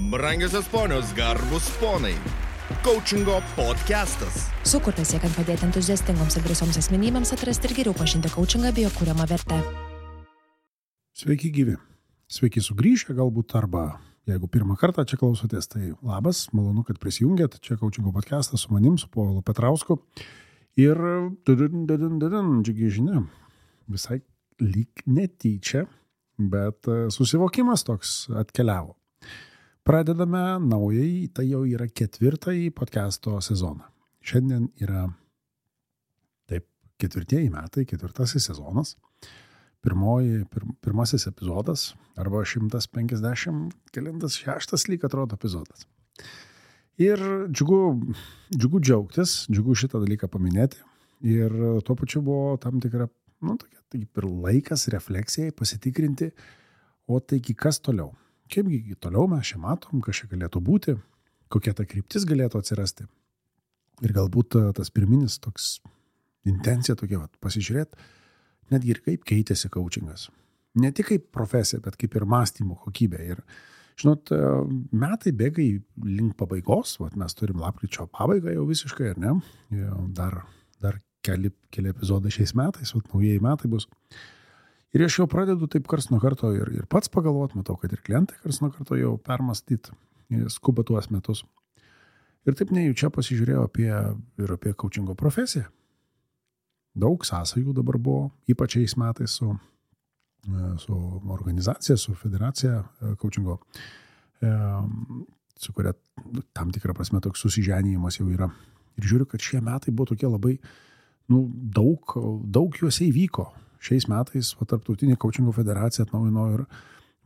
Brangiosios ponios, garbus ponai. Coachingo podcastas. Sukurtas siekiant padėti entuziastingoms ir drąsioms asmenybėms atrasti ir geriau pažinti coachingą bei jo kuriamą vertę. Sveiki gyvi. Sveiki sugrįžę galbūt arba jeigu pirmą kartą čia klausotės, tai labas, malonu, kad prisijungėt. Čia Coachingo podcastas su manim, su Povilu Petrausku. Ir džiugi žinia, visai lyg netyčia, bet susivokimas toks atkeliavo. Pradedame naująjį, tai jau yra 4. podcasto sezoną. Šiandien yra 4 metai, 4 sezonas. Pirmasis epizodas, arba 156 lyg atrodo epizodas. Ir džiugu džiaugtis, džiugu šitą dalyką paminėti. Ir tuo pačiu buvo tam tikra, tokia taip ir laikas refleksijai, pasitikrinti, o taigi kas toliau. Kaipgi toliau mes čia matom, kas čia galėtų būti, kokia ta kryptis galėtų atsirasti. Ir galbūt tas pirminis toks intencija tokia, pasižiūrėti, netgi ir kaip keitėsi coachingas. Ne tik kaip profesija, bet kaip ir mąstymo kokybė. Ir, žinot, metai bėga link pabaigos, mes turim lapkričio pabaigą jau visiškai, ar ne? Dar keli epizodai šiais metais, naujieji metai bus. Ir aš jau pradedu taip karts nuo karto ir pats pagalvot, matau, kad ir klientai karts nuo karto jau permąstyt, skuba tuos metus. Ir taip nejučia pasižiūrėjau apie coachingo profesiją. Daug sąsajų dabar buvo, ypač šiais metais su organizacija, su federacija coachingo, su kuria tam tikrą prasme toks susiženėjimas jau yra. Ir žiūriu, kad šie metai buvo tokie labai, daug juose įvyko. Šiais metais Tarptautinė coachingo federacija atnaujino ir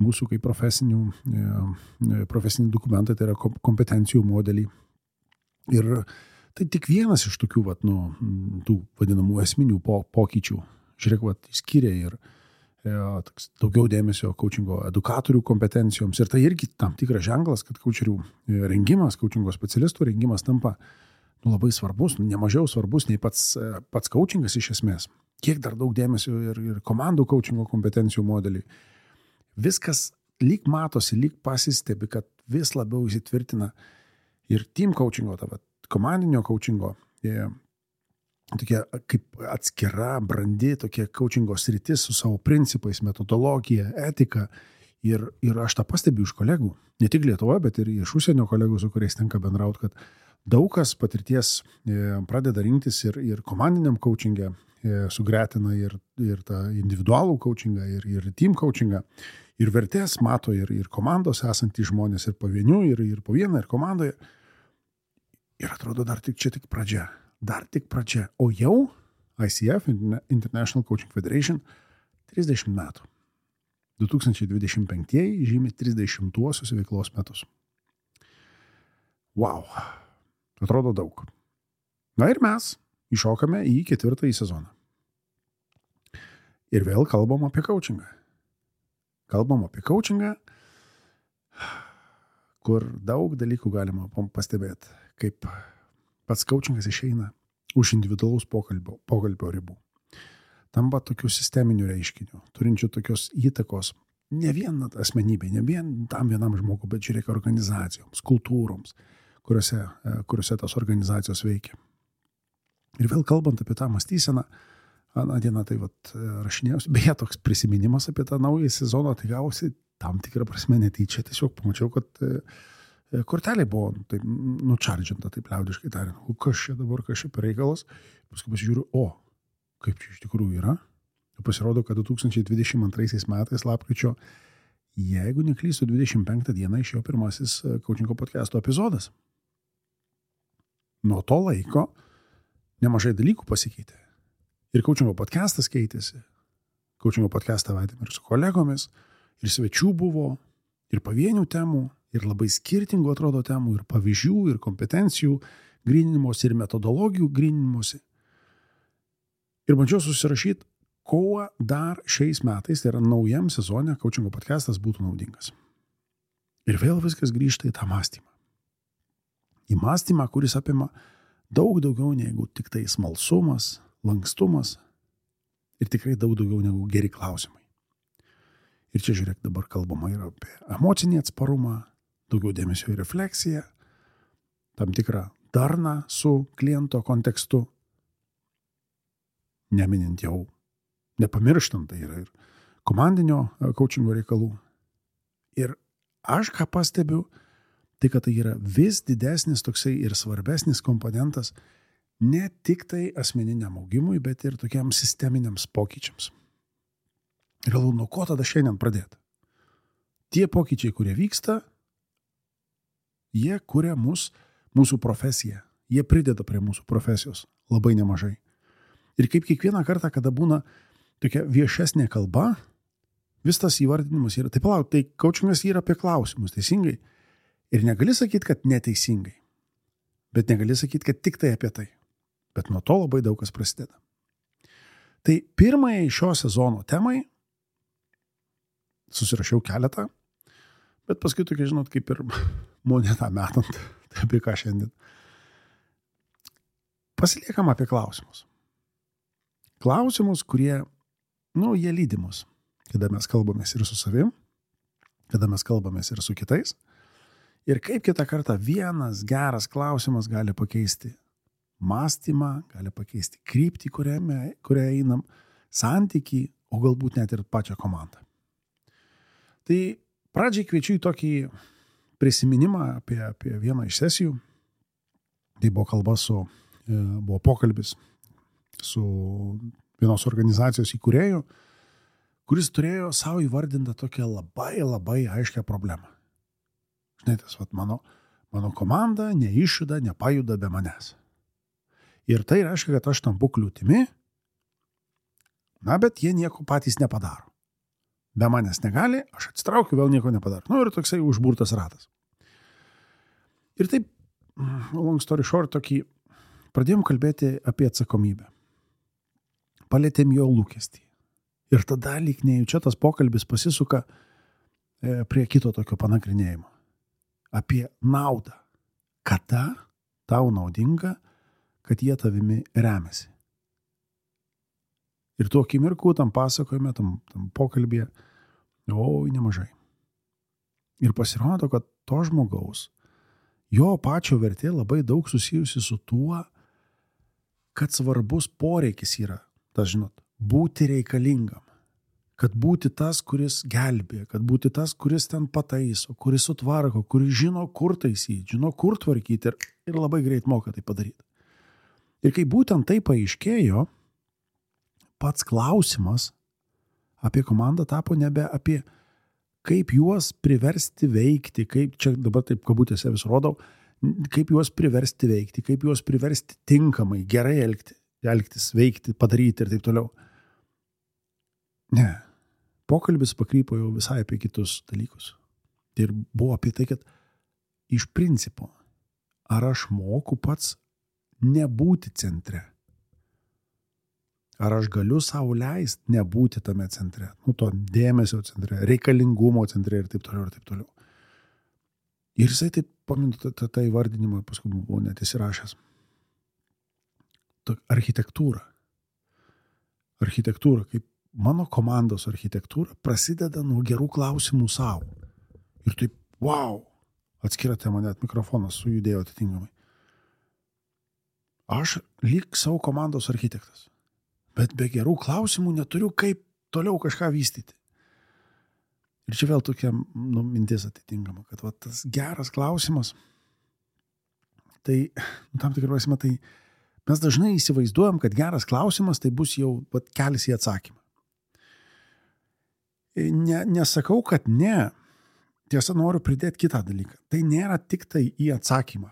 mūsų kaip profesiniai dokumentai, tai yra kompetencijų modeliai. Ir tai tik vienas iš tokių, tų vadinamų esminių pokyčių. Žiūrėk, skiria ir daugiau dėmesio coachingo edukatorių kompetencijoms. Ir tai irgi tam tikras ženklas, kad coacherių rengimas, coachingo specialistų rengimas tampa labai svarbus, nemažiau svarbus nei pats coachingas iš esmės. Kiek dar daug dėmesio ir komandų coachingo kompetencijų modeliai. Viskas lyg matosi, lyg pasistebi, kad vis labiau įsitvirtina ir team coachingo, komandinio coachingo, tokia kaip atskira, brandi tokia coachingo sritis su savo principais, metodologija, etika. Ir aš tą pastebiu iš kolegų, ne tik Lietuvoje, bet ir iš užsienio kolegų, su kuriais tenka bendrauti, kad daug kas patirties pradeda rinktis ir komandiniam coachingė, sugretina ir tą individualų coachingą, ir team coachingą, ir vertės mato, ir komandos esantys žmonės, ir pavienių, ir po vieną, ir komandoje. Ir atrodo, čia tik pradžia. O jau ICF, International Coaching Federation, 30 metų. 2025 žymi 30-uosius veiklos metus. Wow, atrodo daug. Na ir mes iššokame į 4. sezoną. Ir vėl kalbam apie coachingą. Kur daug dalykų galima pastebėti, kaip pats coachingas išeina už individualaus pokalbio ribų. Tampa tokių sisteminių reiškinių, turinčių tokios įtakos ne vien asmenybei, ne vien tam vienam žmogui, bet žiūrėk organizacijoms, kultūroms, kuriuose tos organizacijos veikia. Ir vėl kalbant apie tą mąstyseną, aną dieną tai rašinėjausi, beje, toks prisiminimas apie tą naują sezoną, tai gavosi tam tikrą prasme netyčia, tiesiog pamačiau, kad kortelė buvo taip nučardžinta, taip liaudiškai tariant, kas čia per reikalas, paskui pasižiūriu, kaip čia iš tikrųjų yra. Pasirodo, kad 2022 metais lapkričio, jeigu neklystu, 25 dieną išėjo pirmasis coachingo podcasto epizodas. Nuo to laiko nemažai dalykų pasikeitė. Ir coachingo podcastas keitėsi. Coachingo podcastą vedėme ir su kolegomis, ir svečių buvo, ir pavienių temų, ir labai skirtingų atrodo temų, ir pavyzdžių, ir kompetencijų gryninimuose, ir metodologijų gryninimuose. Ir bandžiau susirašyti, kuo dar šiais metais, tai yra naujam sezone, coachingo podcastas būtų naudingas. Ir vėl viskas grįžta į tą mąstymą. Į mąstymą, kuris apima daug daugiau negu tik tai smalsumas, lankstumas ir tikrai daug daugiau negu geri klausimai. Ir čia žiūrėk, dabar kalbama ir apie emocinį atsparumą, daugiau dėmesio į refleksiją, tam tikrą darną su kliento kontekstu, neminint jau, nepamirštant, tai yra ir komandinio coachingo reikalų. Ir aš ką pastebiu, tai kad tai yra vis didesnis toksai ir svarbesnis komponentas ne tik tai asmeniniam augimui, bet ir tokiam sisteminiams pokyčiams. Ir galvoju, nuo ko tada šiandien pradėti? Tie pokyčiai, kurie vyksta, jie kuria mūsų profesiją. Jie prideda prie mūsų profesijos labai nemažai. Ir kaip kiekvieną kartą, kada būna tokia viešesnė kalba, vis tas įvardinimas yra, tai palauk, tai coachingas yra apie klausimus, teisingai. Ir negali sakyti, kad neteisingai. Bet negali sakyti, kad tik tai apie tai. Bet nuo to labai daug kas prasideda. Tai pirmai šio sezono temai susirašiau keletą, bet paskui tokia, žinot, kaip ir monetą metant, tai apie ką šiandien. Pasiliekam apie klausimus. Klausimus, kurie, jie lydi mus, kada mes kalbamės ir su savim, kada mes kalbamės ir su kitais. Ir kaip kitą kartą vienas geras klausimas gali pakeisti mąstymą, gali pakeisti kryptį, kurią einam, santykį, o galbūt net ir pačią komandą. Tai pradžiai kviečiu į tokį prisiminimą apie vieną iš sesijų. Tai buvo pokalbis su vienos organizacijos įkūrėju, kuris turėjo savo įvardintą tokią labai, labai aiškią problemą. Žinai, tas mano komanda neišjuda, nepajuda be manęs. Ir tai reiškia, kad aš tampu kliūtimi, bet jie nieko patys nepadaro. Be manęs negali, aš atsitraukiu, vėl nieko nepadaro. Ir toksai užburtas ratas. Ir taip, long story short, pradėjom kalbėti apie atsakomybę. Palėtėm jo lūkestį. Ir tada lyg nejučia tas pokalbis pasisuka prie kito tokio panagrinėjimo. Apie naudą. Kada tau naudinga, kad jie tavimi remiasi. Ir tuo akimirku tam pasakojime, tam pokalbėje, nemažai. Ir pasirodo, kad to žmogaus, jo pačio vertė labai daug susijusi su tuo, kad svarbus poreikis yra, būti reikalingam. Kad būti tas, kuris gelbė, kad būti tas, kuris ten pataiso, kuris sutvarko, kuris žino, kur taisyti, žino, kur tvarkyti ir labai greit moka tai padaryti. Ir kai būtent tai paaiškėjo, pats klausimas apie komandą tapo nebe apie kaip juos priversti veikti, kaip čia dabar taip kabutėse vis rodau, kaip juos priversti veikti, kaip juos priversti tinkamai, gerai elgtis, veikti, padaryti ir taip toliau. Ne. Pokalbis pakrypo jau visai apie kitus dalykus. Ir buvo apie tai, kad iš principo, ar aš moku pats nebūti centre? Ar aš galiu savo leisti nebūti tame centre? To dėmesio centre, reikalingumo centre ir taip toliau ir taip toliau. Ir jisai taip, paminu tą įvardinimą, paskui buvo net įsirašęs. Architektūra, kaip mano komandos architektūra prasideda nuo gerų klausimų savo. Ir taip, atskira tema, net mikrofonas sujudėjo atitinkamai. Aš lyg savo komandos architektas, bet be gerų klausimų neturiu kaip toliau kažką vystyti. Ir čia vėl tokia mintis atitinkama, kad tas geras klausimas, tai tam tikrą prasme, tai mes dažnai įsivaizduojam, kad geras klausimas tai bus jau kelias į atsakymą. Nesakau, kad ne. Tiesa, noriu pridėti kitą dalyką. Tai nėra tik tai į atsakymą.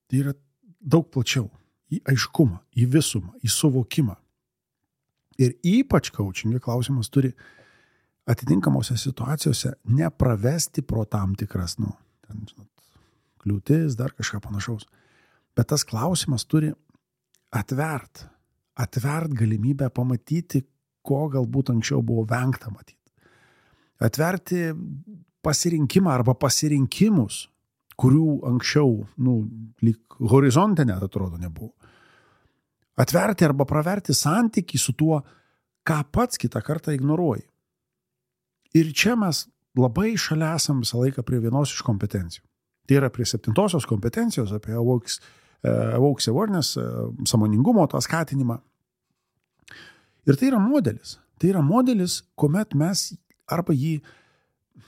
Tai yra daug plačiau. Į aiškumą, į visumą, į suvokimą. Ir ypač coachinge klausimas turi atitinkamose situacijose nepravesti pro tam tikras, kliūtis, dar kažką panašaus. Bet tas klausimas turi atvert galimybę pamatyti, ko galbūt anksčiau buvo vengta matyti. Atverti pasirinkimą arba pasirinkimus, kurių anksčiau, lyg horizonte net atrodo nebuvo. Atverti arba praverti santykį su tuo, ką pats kitą kartą ignoruoji. Ir čia mes labai šalia esam visą laiką prie vienos iš kompetencijų. Tai yra prie 7 kompetencijos, apie Awokes Awareness, sąmoningumo tą skatinimą. Ir tai yra modelis. Tai yra modelis, kuomet mes arba jį,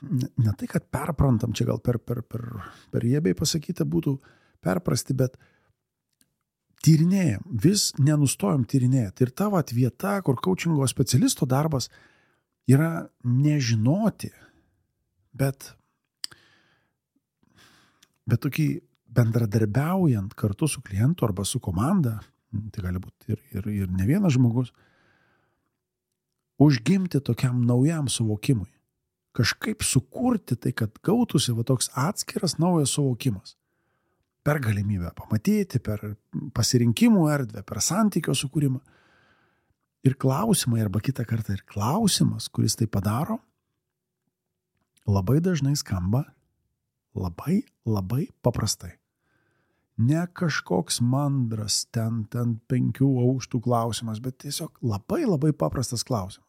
ne tai, kad perprantam, čia gal per jėbiai pasakyta būtų perprasti, bet tyrinėjam, vis nenustojam tyrinėti. Ir ta vieta, kur coachingo specialisto darbas yra nežinoti, bet tokį bendradarbiaujant kartu su klientu arba su komanda, tai gali būti ir ne vienas žmogus, užgimti tokiam naujam suvokimui. Kažkaip sukurti tai, kad gautųsi toks atskiras naujas suvokimas. Per galimybę pamatyti, per pasirinkimų erdvę, per santykio sukūrimą. Ir klausimai, arba kitą kartą ir klausimas, kuris tai padaro, labai dažnai skamba labai paprastai. Ne kažkoks mandras ten 5 aukštų klausimas, bet tiesiog labai paprastas klausimas.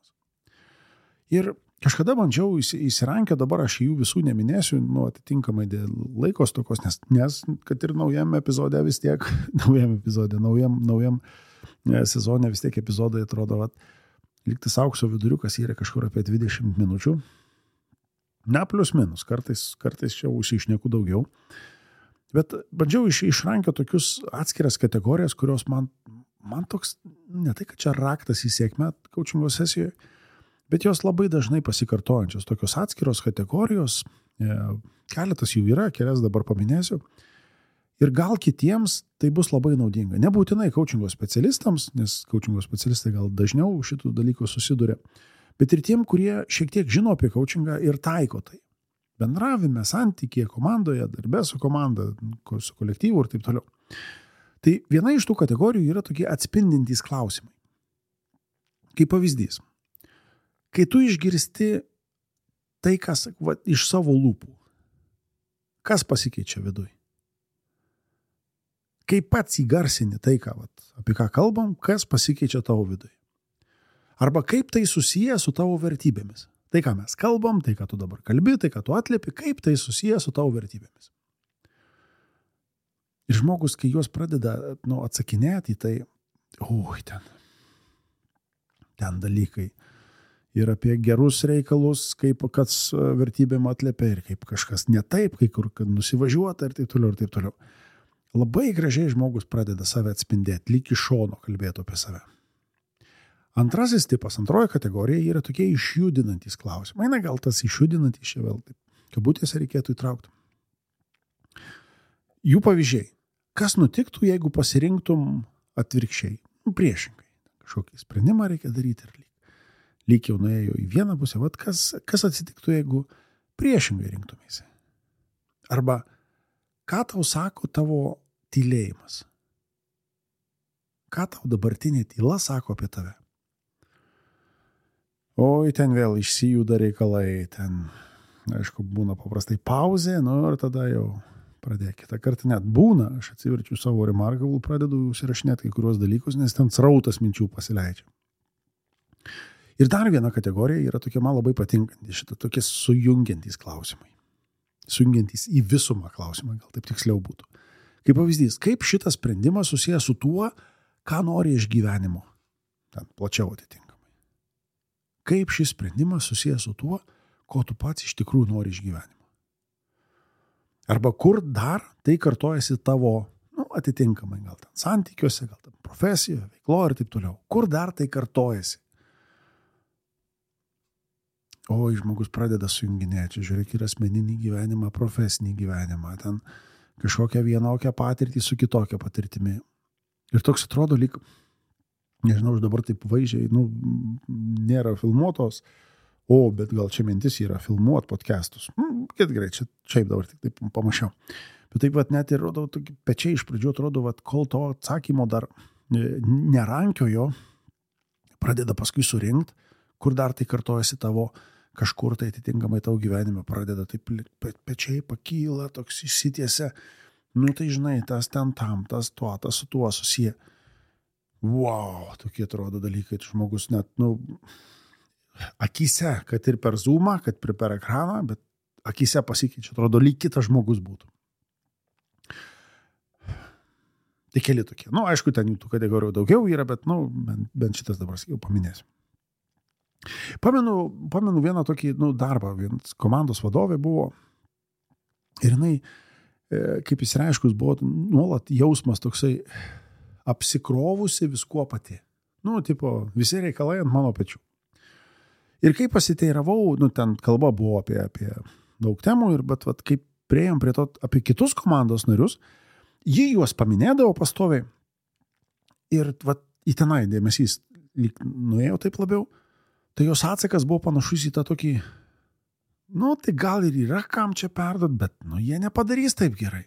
Ir kažkada bandžiau įsirankio, dabar aš jų visų neminėsiu, atitinkamai dėl laiko stokos, nes kad ir naujam epizode vis tiek, naujam sezone vis tiek epizodai atrodo, lygtis aukso viduriukas yra kažkur apie 20 minučių. Ne plius minus, kartais čia užsišneku daugiau. Bet bandžiau išrankio tokius atskiras kategorijas, kurios man toks, ne tai, kad čia raktas į sėkmę coachingo sesijoje, bet jos labai dažnai pasikartojančios. Tokios atskiros kategorijos, keletas jų yra, kelias dabar paminėsiu. Ir gal kitiems tai bus labai naudinga. Nebūtinai coachingo specialistams, nes coachingo specialistai gal dažniau šitų dalykų susiduria, bet ir tiem, kurie šiek tiek žino apie coachingą ir taiko tai. Bendravime, santykėje, komandoje, darbe su komanda, su kolektyvu ir taip toliau. Tai viena iš tų kategorijų yra tokie atspindintys klausimai. Kaip pavyzdys. Kai tu išgirsti tai, kas iš savo lūpų, kas pasikeičia viduj? Kai pats įgarsini tai, apie ką kalbam, kas pasikeičia tavo viduj? Arba kaip tai susiję su tavo vertybėmis? Tai, ką mes kalbam, tai, ką tu dabar kalbi, tai, ką tu atliepi, kaip tai susiję su tavo vertybėmis. Ir žmogus, kai juos pradeda atsakinėti, tai, ten dalykai. Ir apie gerus reikalus, kaip kas vertybėm atliepia, ir kaip kažkas ne taip, kai kur nusivažiuota ir taip toliau, ir taip toliau. Labai gražiai žmogus pradeda save atspindėti, lyg iš šono kalbėtų apie save. Antrasis tipas, antroji kategorija yra tokie išjudinantys klausimai. Na, gal tas išjudinantys čia vėl taip, kabutėse reikėtų įtraukti. Jų pavyzdžiai. Kas nutiktų, jeigu pasirinktum atvirkščiai? Priešingai. Kažkokį sprendimą reikia daryti ir lyg jau nuėjo į vieną pusę. Kas atsitiktų, jeigu priešingai rinktumėsi? Arba ką tau sako tavo tylėjimas? Ką tau dabartinė tyla sako apie tave? Oi, ten vėl išsijuda reikalai, ten, aišku, būna paprastai pauzė, ir tada jau pradėk. Kitą kartą net būna, aš atsiverčiu savo Remarkable, pradedu užsirašinėti kai kuriuos dalykus, nes ten srautas minčių pasileidžia. Ir dar viena kategorija yra tokia man labai patinkanti, šitą tokie sujungiantys klausimai. Sujungiantys į visumą klausimą, gal taip tiksliau būtų. Kaip pavyzdys, kaip šitas sprendimas susijęs su tuo, ką nori iš gyvenimo. Ten plačiau atitinkamai. Kaip šis sprendimas susijęs su tuo, ko tu pats iš tikrųjų nori iš gyvenimo. Arba kur dar tai kartojasi tavo, atitinkamai, gal ten santykiuose, gal ten profesijoje, veikloje ir taip toliau. Kur dar tai kartojasi? Žmogus pradeda sujunginėti, žiūrėk, ir asmeninį gyvenimą, profesinį gyvenimą, ten kažkokią vienokią patirtį su kitokia patirtimi. Ir toks atrodo lyg, nežinau, aš dabar taip vaizdžiai, nėra filmuotos, bet gal čia mintis yra filmuot podcastus. Kad gerai, čia dabar tik taip pamačiau. Bet taip net ir rodo, pečiai iš pradžių atrodo, kol to atsakymo dar nerankiojo, pradeda paskui surinkt, kur dar tai kartojasi tavo, kažkur tai atitinkamai tavo gyvenime pradeda taip pečiai pakyla, toks išsitiesia, tai žinai, tas ten tam, tas tuo, tas su tuo susiję. Wow, tokie atrodo dalykai, žmogus net, akyse, kad ir per Zoomą, kad ir per ekraną, bet akyse pasikeičia, atrodo, lyg kitas žmogus būtų. Tai keli tokie. Aišku, ten jų tų kategorijų daugiau yra, bet, bent šitas dabar jau paminėsiu. Pamenu vieną tokį, darbą, vienas komandos vadovė buvo ir jinai, kaip įsireiškus, buvo nuolat jausmas toksai apsikrovusi viskuo pati. Visi reikalai ant mano pečių. Ir kai pasiteiravau, ten kalba buvo apie daug temų, bet kaip priėjom prie to apie kitus komandos narius, ji juos paminėdavo pastoviai ir į tenai dėmesys lyg nuėjo taip labiau, tai jos atsakas buvo panašus į tą tokį, tai gal ir yra kam čia perduot, bet jie nepadarys taip gerai.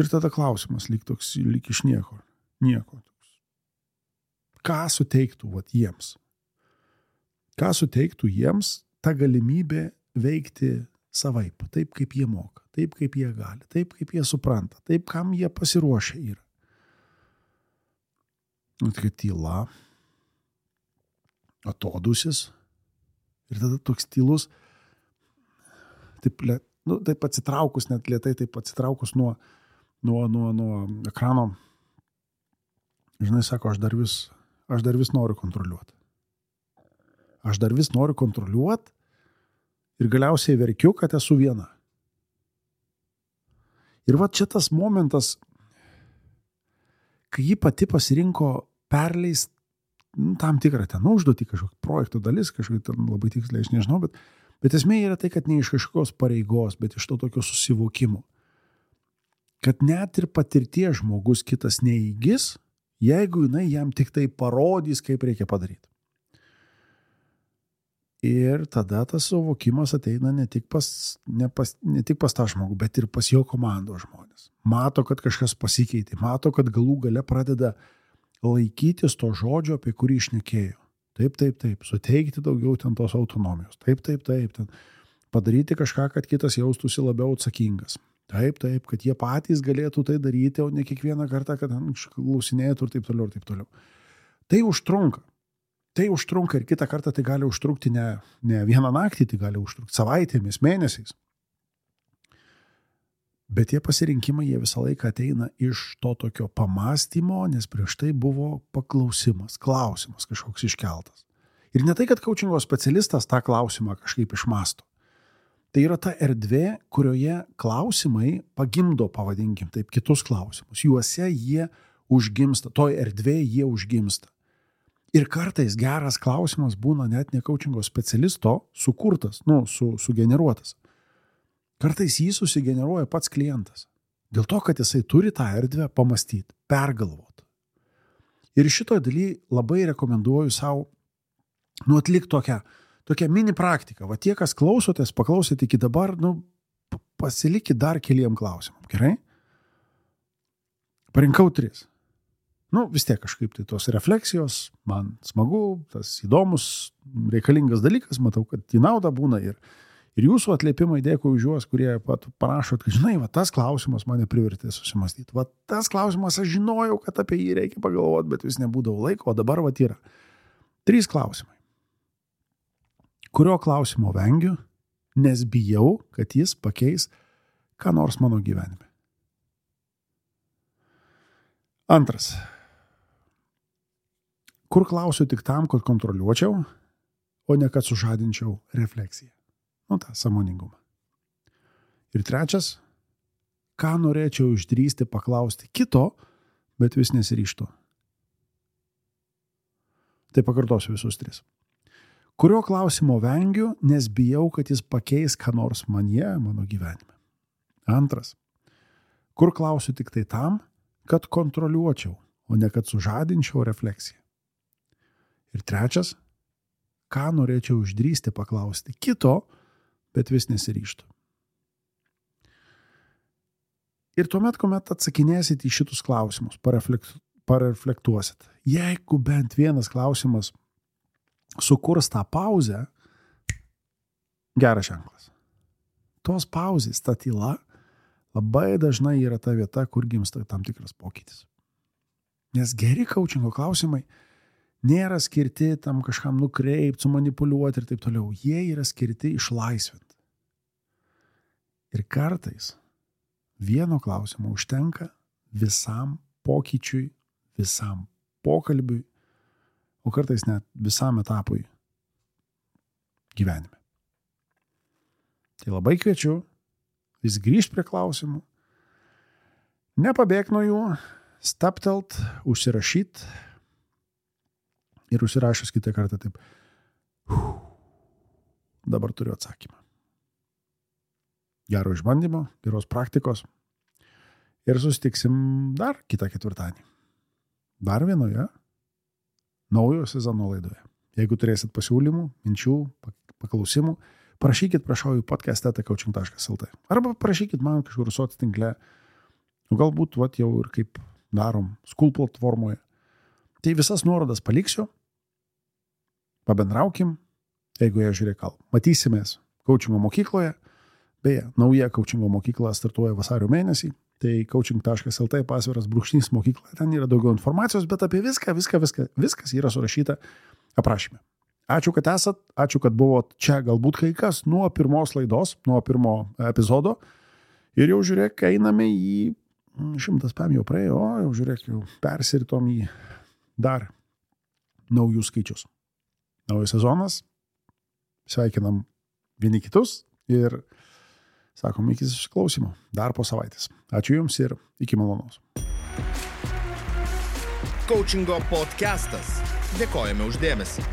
Ir tada klausimas lyg iš nieko. Ką suteiktų jiems? Ką suteiktų jiems ta galimybė veikti savaip, taip kaip jie moka, taip kaip jie gali, taip kaip jie supranta, taip kam jie pasiruošę yra. Tokia tyla, atodusis ir tada toks tylus, taip atsitraukus, net lėtai taip atsitraukus nuo ekrano, žinai, sako, aš dar vis noriu kontroliuoti. Aš dar vis noriu kontroliuoti ir galiausiai verkiu, kad esu viena. Ir čia tas momentas, kai ji pati pasirinko perleist tam tikrą ten užduotį, kažkokį projekto dalis, kažkokį ten labai tiksliai, aš nežinau, bet esmė yra tai, kad ne iš kažkokios pareigos, bet iš to tokio susivokimo. Kad net ir patirties žmogus kitas neįgis, jeigu jinai jam tik tai parodys, kaip reikia padaryti. Ir tada tas suvokimas ateina ne tik pas tą žmogų, bet ir pas jo komandos žmonės. Mato, kad kažkas pasikeitė, mato, kad galų gale pradeda laikytis to žodžio, apie kurį šnekėjo. Taip, suteikti daugiau ten tos autonomijos. Taip, ten padaryti kažką, kad kitas jaustųsi labiau atsakingas. Taip, kad jie patys galėtų tai daryti, o ne kiekvieną kartą, kad klausinėtų ir taip toliau. Tai užtrunka ir kitą kartą tai gali užtrukti ne vieną naktį, tai gali užtrukti savaitėmis, mėnesiais. Bet tie pasirinkimai, jie visą laiką ateina iš to tokio pamąstymo, nes prieš tai buvo klausimas kažkoks iškeltas. Ir ne tai, kad coachingo specialistas tą klausimą kažkaip išmąsto. Tai yra ta erdvė, kurioje klausimai pagimdo, pavadinkim taip, kitus klausimus. Juose jie užgimsta, toj erdvėje jie užgimsta. Ir kartais geras klausimas būna net ne coachingo specialisto sukurtas, sugeneruotas. Kartais jį susigeneruoja pats klientas. Dėl to, kad jisai turi tą erdvę pamastyti, pergalvoti. Ir šitoje dalyje labai rekomenduoju savo atlikti tokią mini praktiką. Tie, kas klausotės, paklausėte iki dabar, pasilikit dar keliem klausimam. Gerai? Parinkau 3. Vis tiek kažkaip tai tos refleksijos, man smagu, tas įdomus, reikalingas dalykas, matau, kad į naudą būna ir jūsų atliepimai, dėkui už juos, kurie parašot, kad žinai, tas klausimas mane privertė susimastyti. Tas klausimas, aš žinojau, kad apie jį reikia pagalvoti, bet vis nebūdavo laiko, o dabar yra 3 klausimai. Kurio klausimo vengiu, nes bijau, kad jis pakeis ką nors mano gyvenime. 2. Kur klausiu tik tam, kad kontroliuočiau, o ne kad sužadinčiau refleksiją. Tą sąmoningumą. Ir 3. Ką norėčiau išdrįsti paklausti kito, bet vis nesiryžtu. Tai pakartosiu visus 3. Kurio klausimo vengiu, nes bijau, kad jis pakeis ką nors mano gyvenime. 2. Kur klausiu tik tai tam, kad kontroliuočiau, o ne kad sužadinčiau refleksiją. Ir 3. Ką norėčiau išdrįsti paklausti kito, bet vis nesiryžtu. Ir tuomet, kuomet atsakinėsit į šitus klausimus, pareflektuosit. Jeigu bent vienas klausimas sukurs tą pauzę, geras ženklas. Tos pauzės, ta tyla, labai dažnai yra ta vieta, kur gimsta tam tikras pokytis. Nes geri coachingo klausimai nėra skirti tam kažkam nukreipti, sumanipuliuoti ir taip toliau. Jie yra skirti išlaisvinti. Ir kartais vieno klausimo užtenka visam pokyčiui, visam pokalbiui, o kartais net visam etapui gyvenime. Tai labai kviečiu vis grįžti prie klausimų, nepabėg nuo jų, staptelt, užsirašyt ir užsirašęs kitą kartą taip. Dabar turiu atsakymą. Gero išbandymo, geros praktikos ir susitiksim dar kitą ketvirtadienį. Dar vienoje naujo sezono laidoje. Jeigu turėsit pasiūlymų, minčių, paklausimų, parašykit prašau į podcast@coaching.lt arba parašykit man kažkur soc tinkle. Galbūt jau ir kaip darom School platformoje. Tai visas nuorodas paliksiu. Pabendraukim. Jeigu žiūrėk, matysimės coachingo mokykloje. Beje, nauja coachingo mokykla startuoja vasario mėnesį. Tai coaching.lt pasviras _ mokykla. Ten yra daugiau informacijos, bet apie viskas yra surašyta aprašyme. Ačiū, kad esat, ačiū, kad buvot čia galbūt kai kas nuo pirmos laidos, nuo pirmo epizodo. Ir jau žiūrėk, einame į 100 PM jau praėjo, jau žiūrėk, jau persiritom į dar naujus skaičius. Naujas sezonas, sveikinam vieni kitus ir sakom iki susiklausimo dar po savaitės. Ačiū Jums ir iki malonaus. Coachingo podcastas. Dėkojame už dėmesį.